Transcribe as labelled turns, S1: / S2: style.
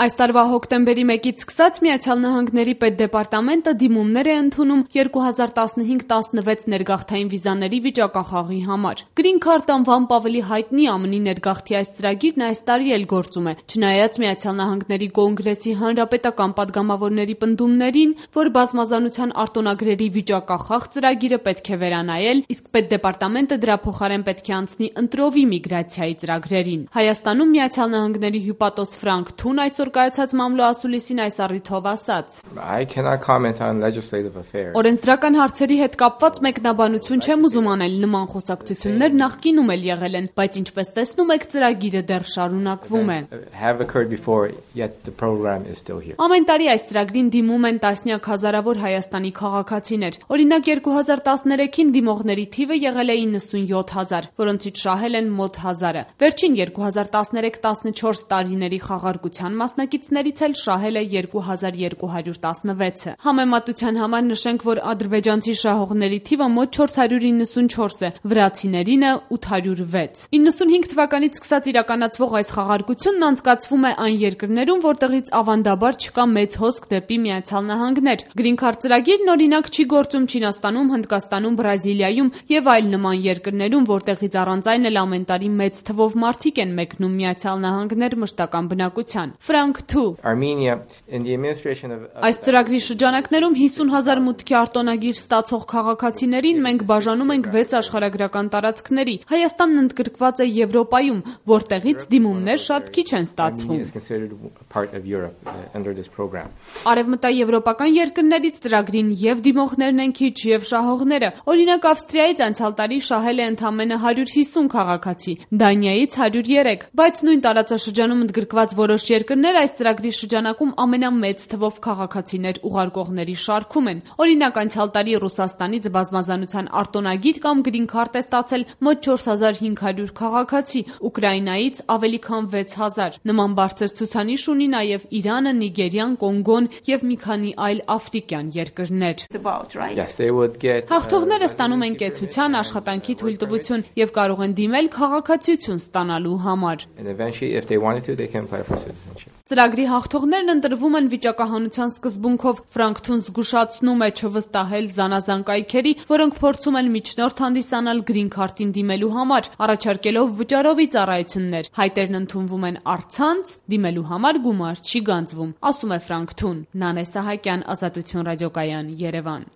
S1: Այս տարվա հոկտեմբերի 1-ից սկսած Միացյալ Նահանգների պետդեպարտամենտը դիմումներ է ընդունում 2015-16 ներգաղթային վիզաների վիճակախաղի համար։ Green Card անվամբ ավելի հայտնի ԱՄՆ-ի ներգաղթի այս ծրագիրն այս տարի էլ գործում է, չնայած Միացյալ Նահանգների Կոնգրեսի հանրապետական պատգամավորների պնդումներին, որ բազմազանության արտոնագրերի վիճակախաղ ծրագիրը պետք է վերանայել, իսկ պետդեպարտամենտը դրա փոխարեն պետք է անցնի ընտրովի միգրացիայի ծրագրերին։ Հայաստանում Միացյալ Նահանգների հյուպատոս Ֆրանկ Թուն այսօր կայացած մամլո ասուլիսին այս առիթով ասաց. Օրենսդրական հարցերի հետ կապված մեկնաբանություն չեմ ուզում անել, նման խոսակցություններ նախկինում էլ եղել են, բայց ինչպես տեսնում եք, ծրագիրը դեռ շարունակվում է։ Ամեն տարի այս ծրագրին դիմում են տասնյակ հազարավոր Հայաստանի քաղաքացիներ։ Օրինակ 2013-ին դիմողների թիվը եղել է 97,000, որոնցից շահել են մոտ 1000-ը։ Վերջին 2013-14 տարիների խաղարկության մասնակիցներից էլ շահել է 2216-ը։ Համեմատության համար նշենք, որ ադրբեջանցի շահողների թիվը մոտ 494 է, վրացիներինը 806։ 95 թվականից սկսած իրականացվող այս խաղարկությունն անցկացվում է այն երկրներում, որտեղից ավանդաբար չկա մեծ հոսք դեպի Միացյալ Նահանգներ։ Green Card ծրագիրն օրինակ չի գործում Չինաստանում, Հնդկաստանում, Բրազիլիայում եւ այլ նման երկրներում, որտեղից առանց այն էլ ամեն տարի մեծ թվով մարդիկ են մեկնում Միացյալ Նահանգներ մշտական բնակության։ Ֆրանկ Թու. Այս ծրագրի շրջանակներում 50,000 մուտքի արտոնագիր ստացող քաղաքացիներին մենք բաժանում ենք 6 աշխարհագրական տարածքների։ Հայաստանն ընդգրկված է Եվրոպայում, որտեղից դիմումներ շատ քիչ են ստացվում։ Արևմտաեվրոպական երկրներից ծրագրին եւ դիմողներն են քիչ եւ շահողները։ Օրինակ Ավստրիայից անցյալ տարի շահել է ընդամենը 150 քաղաքացի, Դանիայից 103, բայց նույն տարածաշրջանում ընդգրկված որոշ երկրներ այս ծրագրի շրջանակում ամենամեծ թվով քաղաքացիներ ուղարկողների շարքում են։ Օրինակ անցյալ տարի Ռուսաստանից բազմազանության արտոնագիր կամ Green Card է ստացել մոտ 4500 քաղաքացի, Ուկրաինայից ավելի քան 6000։ Նման բարձր ցուցանիշ ունի նաև Իրանը, Նիգերիան, Կոնգոն եւ մի քանի այլ աֆրիկյան երկրներ։ Հաղթողները ստանում են կեցության, աշխատանքի թույլտվություն եւ կարող են դիմել քաղաքացիություն ստանալու համար։ Ծրագրի հաղթողներն ընտրվում են վիճակահանության սկզբունքով։ Ֆրանկ Թուն զգուշացնում է չվստահել զանազան կայքերի, որոնք փորձում են միջնորդ հանդիսանալ Green Card-ին դիմելու համար, առաջարկելով վճարովի ծառայություններ։ Հայտերն ընդունվում են առցանց, դիմելու համար գումար չի գանձվում, ասում է Ֆրանկ Թուն։ Նանե Սահակյան, Ազատություն ռադիոկայան, Երևան։